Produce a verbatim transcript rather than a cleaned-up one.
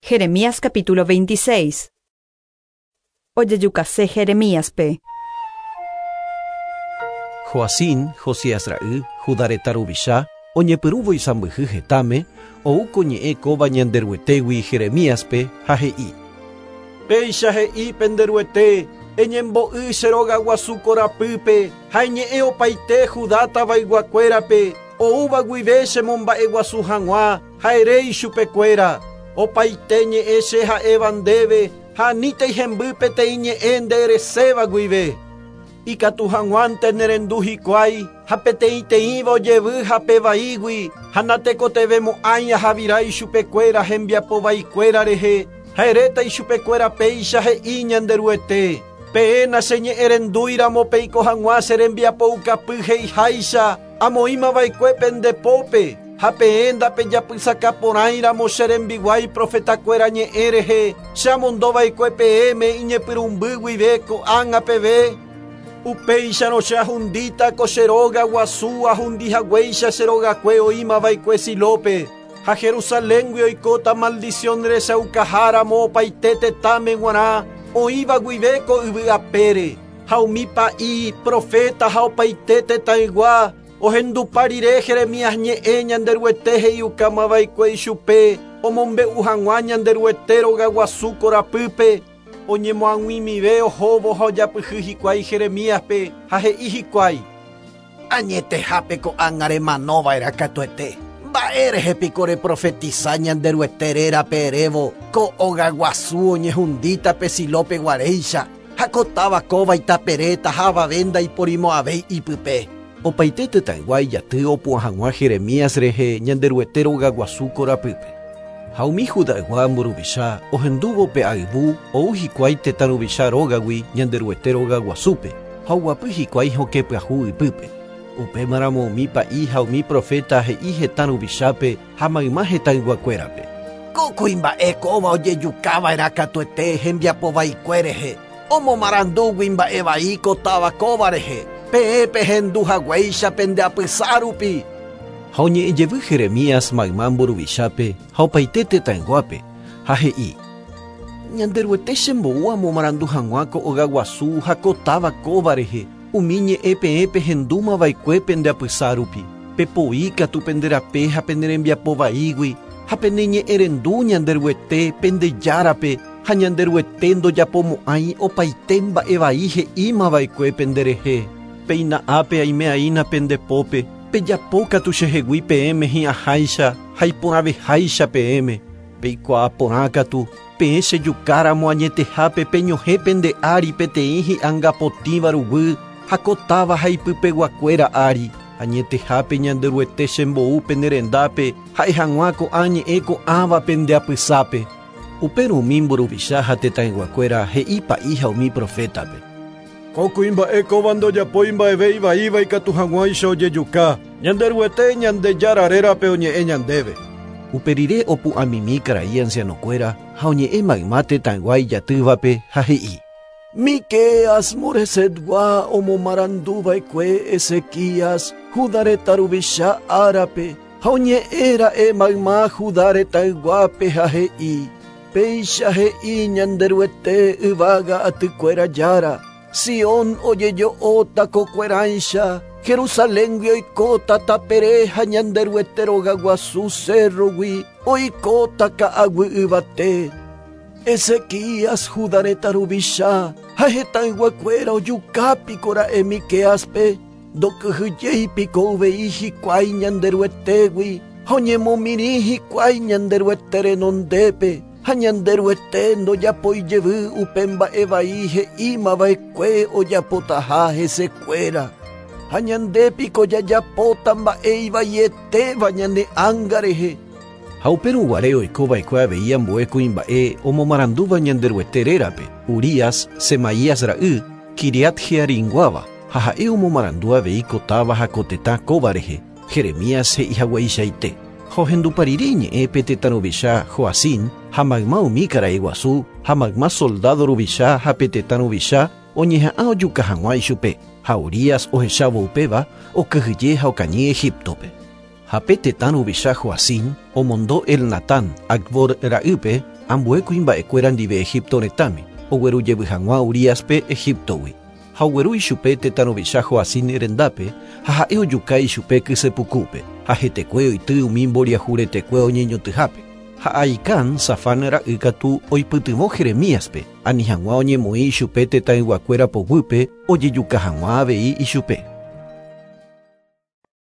Jeremías capítulo veintiséis. Ojejukase Jeremíaspe. Joacim, Josías ra'y, Judá retã ruvicha, oñepyrũvo isãmbyhy hetãme, ou ko ñe'ẽ kóva Ñanderuetégui Jeremíaspe ha he'i: Péicha he'i penderuete, eñembo'y che rogaguasu korapýpe ha eñe'ẽ opaite Judá tavayguakuérape, oúva guive chemomba'eguasu hag̃ua ha ere ichupekuéra. Opaite ñe'ẽ che ha'éva ndéve ha anítei hemby peteĩ ñe'ẽ nde ereséva guive. Ikatu hag̃uánte nerendu hikuái ha peteĩteĩva ojevy hapevaígui ha natekotevẽmo'ãi ahavira ichupekuéra hembiapovaikuéra rehe ha eréta ichupekuéra péicha he'i Ñanderuete. Peẽ nacheñe'ẽrendúiramo peiko hag̃ua che rembiapoukapy he'iháicha amoĩmava'ekue pendepópe ha peẽ ndapejapysakaporãiramo che rembiguái profetakuéra ñe'ẽ rehe che amondova'ekue peẽme iñepyrũmby guive ko'ág̃a peve. Upéicharõ che ahundíta ko che róga guasu ahundihaguéicha che rogakue oĩmava'ekue Silópe ha Jerusaléngui oikóta maldición rechaukaháramo opaite tetãme g̃uarã oĩva guive ko yvy apére ha umi pa'i profeta ha opaite tetãygua ohendupa rire Jeremías ñe'ẽ Ñanderuete he'iukamava'ekue ichupe omombe'u hag̃ua Ñanderuete rogaguasu korapýpe oñemoag̃uimive ohóvo ha ojapyhy hikuái Jeremíaspe ha he'i hikuái: Añetehápe ko'ág̃a remanova'erã katuete. Mba'érehe piko reprofetisa Ñanderuete rérape erévo ko ogaguasu oñehundíta pe Silópe guaréicha ha ko táva kóva itaperéta ha avave ndaiporimo'ãvéi ipype. Opaite tetãygua ijaty opu'ã hag̃ua Jeremías rehe Ñanderuete rogaguasu korapýpe. Ha umi Judaygua mburuvicha ohendúvo pe ayvu ou hikuái tetã ruvicha rógagui Ñanderuete rogaguasúpe ha oguapy hikuái hokẽ pyahu ypýpe. Upémaramo umi pa'i ha umi profeta he'i hetã ruvichápe ha mayma hetãyguakuérape: Ko kuimba'e kóva ojejukava'erã katuete hembiapovaikue rehe, omomarandúgui mba'evai ko táva kóva rehe, peẽ pehendu haguéicha pendeapysa rupi. Ha oñe'ẽjevy Jeremías mayma mburuvichápe ha opaite tetãyguápe ha he'i: Ñanderuete chembou amomarandu hag̃ua ko ogaguasu ha ko táva kóva rehe umi ñe'ẽ peẽ pehendúmava'ekue pendeapysa rupi. Pepoi katu pende rape ha pene rembiapovaígui ha pene ñe'ẽrendu Ñanderuete pendejárape ha Ñanderuete ndojapomo'ãi opaite mba'evai he'ímava'ekue penderehe. Péina ápe aime'aína pendepópe, pejapo katu chehegui peẽme hi'ãháicha ha iporãveháicha peẽme. Peikuaa porã katu, peẽ chejukáramo añetehápe peñohẽ pende ári peteĩ hi'angapotĩva ruguy ha ko táva ha ipypeguakuéra ári. Añetehápe Ñanderuete chembou pene rendápe ha'e hag̃ua ko'ã ñe'ẽ ko'ãva pendeapysápe. Upérõ umi mburuvicha ha tetãyguakuéra he'i pa'i ha umi profétape: Ko kuimba'e kóva ndojapói mba'eve ivaíva ikatu hag̃uáicha ojejuka. Ñanderuete Ñandejára rérape oñe'ẽ ñandéve. Uperire opu'ãmimi karai ancianokuéra ha oñe'ẽ mayma tetãygua ijatývape ha he'i: Miqueas Moresetgua omomaranduva'ekue Ezequías Judá retã ruvicha árape ha oñe'ẽra'e mayma Judá retãyguápe ha he'i: Péicha he'i Ñanderuete yvága atykuéra jára, Sion ojejo'óta kokuerãicha, Jerusaléngui oikóta tapere ha Ñanderuete rogaguasu cérrogui oikóta ka'aguy yvate. Ezequías Judá retã ruvicha ha hetãyguakuéra ojukápikora'e Miqueaspe, ndokyhyjeipiko uvei hikuái Ñanderuetégui ha oñemomirĩ hikuái Ñanderuete renondépe ha Ñanderuete ndojapoijevy upe mba'evai he'ímava'ekue ojapotaha hesekuéra. Ha ñandépiko jajapóta mba'e ivaietéva ñane ánga rehe. Ha upérõ guare oikova'ekue avei ambue kuimba'e omomarandúva Ñanderuete rérape, Urías, Semaías ra'y, Quiriat-Jearimguáva, ha ha'e omomarandu avei ko táva ha ko tetã kóva rehe, Jeremías he'ihagueichaite. Ha ohendupa rire iñe'ẽ pe tetã ruvicha Joacim ha mayma umi karai guasu ha mayma soldado ruvicha ha pe tetã ruvicha oñeha'ã ojuka hag̃ua ichupe ha Urías ohechávo upéva okyhyje ha okañy Egiptope. Ha pe tetã ruvicha Joacim omondo Elnatán, Acbor ra'ýpe, ambue kuimba'ekuéra ndive Egipto retãme, oguerujevy hag̃ua Uríaspe Egiptogui. Ha ogueru ichupe tetã ruvicha Joacim rendápe ha ha'e ojuka ichupe kysepukúpe, ha hetekue oity umi mboriahu retekue oñeñotỹhápe. Ha Ahicam, Safán ra'y katu oipytyvõ Jeremíaspe, ani hag̃ua oñemoĩ ichupe tetãyguakuéra poguýpe ojejuka hag̃ua avei ichupe.